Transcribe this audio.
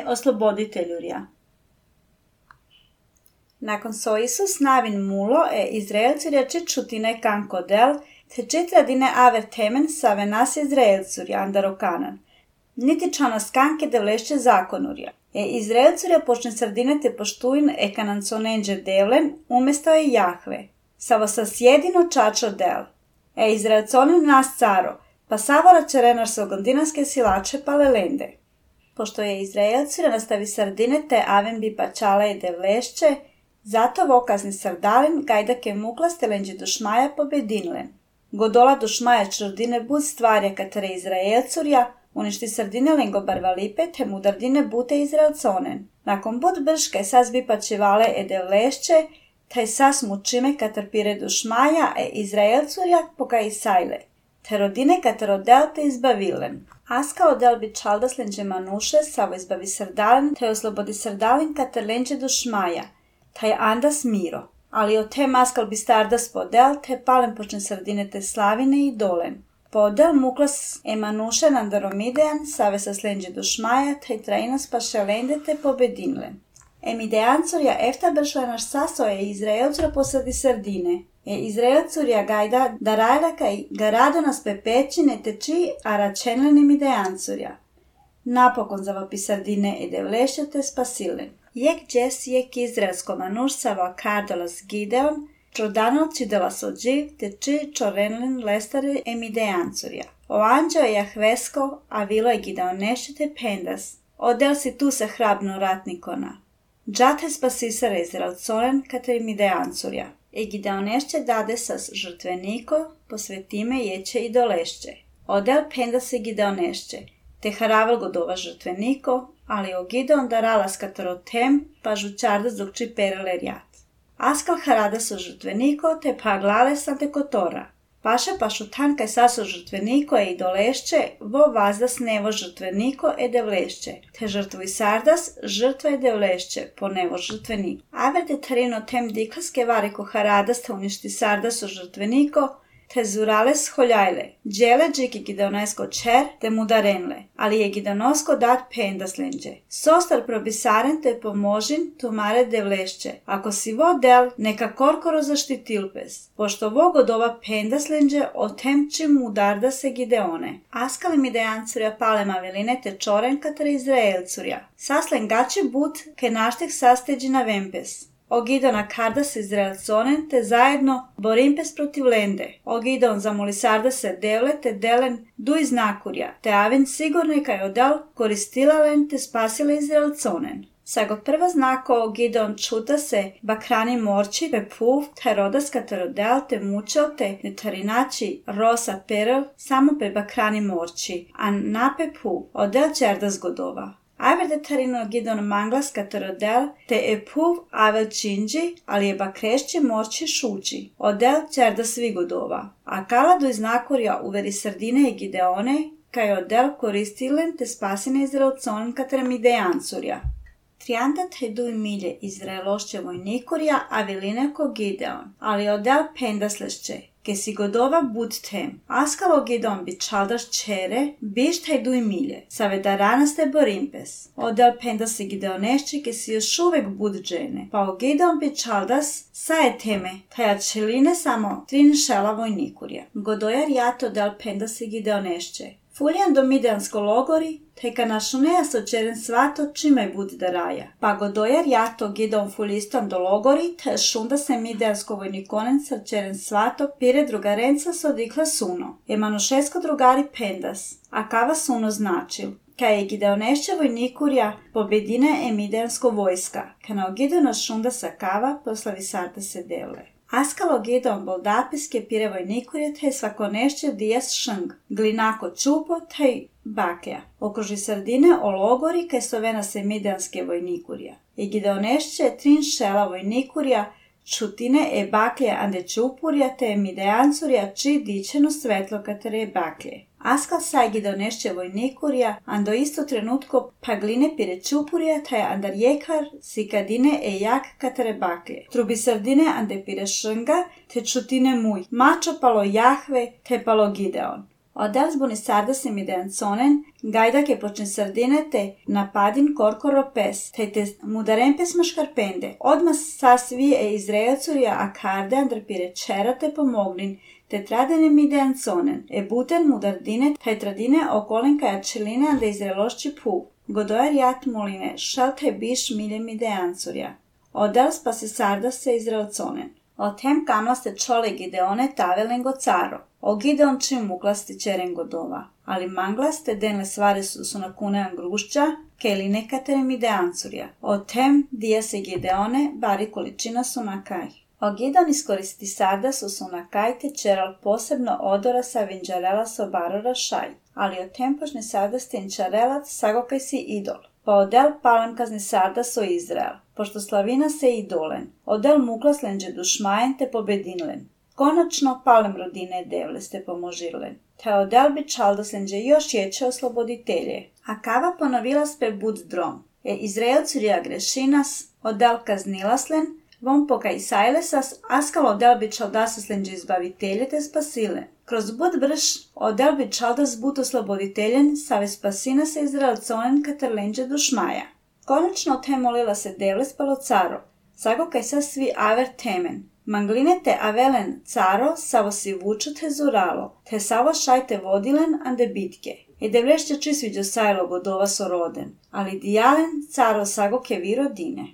osloboditeljurja. Nakon so Isus navin mulo Izraelcurja čutine kanko del, te četradine aver temen save nas Izraelcurja andarokanan. Niti čana skanke devlešće zakonurja. Izraelcurja počne sredine te poštuin kananconenđe devlen, umjesto Jahve. Savo sas jedino čačo del. Izraelconin nas caro, pa savora čerenar sogondinanske silače palelende. Pošto Izraelcurja nastavi sardine te aven bi pačale devlešće, zato vokazni sardalin gajdake mukla stelenđe dušmaja pobedinlen. Godola dušmaja črdine bud stvarja katare Izraelcurja, uništi sardine lengo barvalipe te mudardine bute Izraelconen. Nakon bud brške sas bi pačevale devlešće, taj sas mučime katar pire dušmaja Izraelcurja poka Isajle. Te rodine katar odel te izbavilen. Aska odel bi čaldas lenđe manuše, savo izbavi sardalin, te oslobodi sardalin katar lenđe dušmaja. Taj andas miro, ali o te maskal bi stardas podel, te palen počne sardine te slavine i dolen. Podel muklas emanuše nandaromidean, save sa slenđe dušmaja, te trainas pašelende te pobedinlen. Emideancurja efta bršlenaš sasoje Izraelcura posadi sardine. Izraelcurja gajda darajlaka i garado nas pepećine teči, a račenlen Emideancurja. Napokon zavapi sardine devlešće te spasilen. Jek džes jek izraelsko manuš sava kardolas Gideon, čodanol čidelas odživ, te či čorenlen lestare Emideancurja. O anđeo Jahvesko, a vilo je Gideonešće te pendas. Odel si tu se hrabno ratnikona. Džate spasisara Izraelconen katar Emideancurja. Gideonešće dade sas žrtveniko, posvetime jeće i dolešće. Odel penda se Gideonešće, te haravel godova žrtveniko, ali o Gideon daralas katorotem, pa žučardas dok či perele rjat. Askal haradas o žrtveniko, te paglale sante kotora. Paša pašutan kaj saso žrtveniko i dolešće, vo vazdas nevo žrtveniko devlešće, te žrtvuj sardas, žrtva devlešće, po nevo žrtveniko. Aver de tarino tem diklaske variko haradas te uništi sardas o žrtveniko, te zurales holjajle, džele džiki gideonesko čer te mudarenle, ali je gideonosko dat pendaslenđe. Sostar probisaren te pomožin tumare devlešće, ako si vo del neka korkoro zaštitilpes, pošto vo godova pendaslenđe o temči mudarda se Gideone. Askali Mideancurja palema veline te čoren katar Izraelcurja. Saslen gači but ke naštek sasteđi na vempes. O Gideona kardas Izraelconen te zajedno borimpes protiv lende. O Gideon zamoli sardase devle te delen duj znakurja, te aven sigurne kaj odel koristilalen te spasile Izraelconen. Sago prva znako o Gideon čuta se bakrani morči pe puv, te rodas katar odel te mučel te netarinači rosa perel samo pe bakrani morči, a nape puv odel čerdas godova. Aver de tarino Gideon manglas katarodel te puv avel činđi, ali je bakrešće morči šuči. Odel čerda svi godova. A kaladu iz nakorja uveri sardine i Gideone, kaj odel koristilen te spasine Izraelconen katar Mideancurja. Triandat heduj milje Izraelošće vojnikurja, a velineko Gideon, ali odel pendaslešće. Ke si godova bud tem, askalo Gideon bi čaldaš čere, biš heduj milje, save da ranas te borimpes. Odel pendas se Gideonešće, ke si još uvek bud džene, pa o Gideon bi čaldas saje teme, taja čeline samo trin šela vojnikurja. Godojar jato del pendas se Gideonešće. Fuljan do mideansko logori, teka našuneja so čeren svato čime bud da raja. Pa godojar jato Gideon fulistom do logori, te šunda se mideansko vojnikonen sa čeren svato pire drugarenca so dikla suno. Manušesko drugari pendas, a kava suno značil. Kaj je Gideonešće vojnikurja pobedine mideansko vojska, ka na Gideona šunda sa kava poslavi sarta se devle. Askalo Gideon boldapiske pire vojnikurja te svakonešće dijas šng, glinako čupo te baklja. Okruži sardine o logori kaj sovena se mideanske vojnikurja. I Gideonešće trin šela vojnikurja čutine baklje ande čupurja te Mideancurja či dičeno svetlo katare baklje. Askal saj Gideonešće vojnikurja, ando isto trenutko pagline pire čupurja, taj andar jekar sikadine jak katare baklje. Trubi sardine ande pire šrnga, te čutine muj. Mačo palo Jahve, te palo Gideon. Odel zbuni sardasim ideanconen, gajdake počne sardinete, napadin korkoro pes, te mudarempes maškarpende. Odmah sasvi Izraelcuria akarde andrpire čerate pomognin, te tradenem ideanconen, buten mudardine, taj tradine okolenka jačeline ande Izraelošći pu. Godoer jat moline, šalte biš miljem ideancuria. Odel spase sardase Izraelconen. Otem kamlaste čole Gideone tavelengo caro. O Gideon čim muklasti čeren godova. Ali manglaste denle stvari su na kunean grušća, keli nekaterem ideancurja. Otem dija se Gideone, bari količina su na kaj. O Gideon iskoristi sardas su na kaj te čeral posebno odora sa vinđarela so barora šaj. Ali otem počne sardas tenčarelat sagokaj si idol. Pa odel palem kazni sardas o Izrael, pošto slavina se idolen. Odel muklas lenđe dušmajen te pobedinlen. Konačno palem rodine devle ste pomožirlen. Te odel bi čaldas lenđe još ječe osloboditelje. A kava ponovila spe bud drom. Izraelcurija grešinas, odel kaznilaslen, von pokaj sajlesas, askal odel bi čaldasas lenđe izbavitelje te spasilen. Kroz bud brš, odel bi čaldas bud osloboditeljen, save spasina se Izraelconen kater lenđe dušmaja. Konačno te molila se devle spalo caro, sagokaj sa svi aver temen. Manglinete avelen caro, savo si vuču te zuralo, te savo šajte vodilen ande bitke. Devlešće čisviđo sajlo godova soroden, ali dijalen caro sagoke viro dine.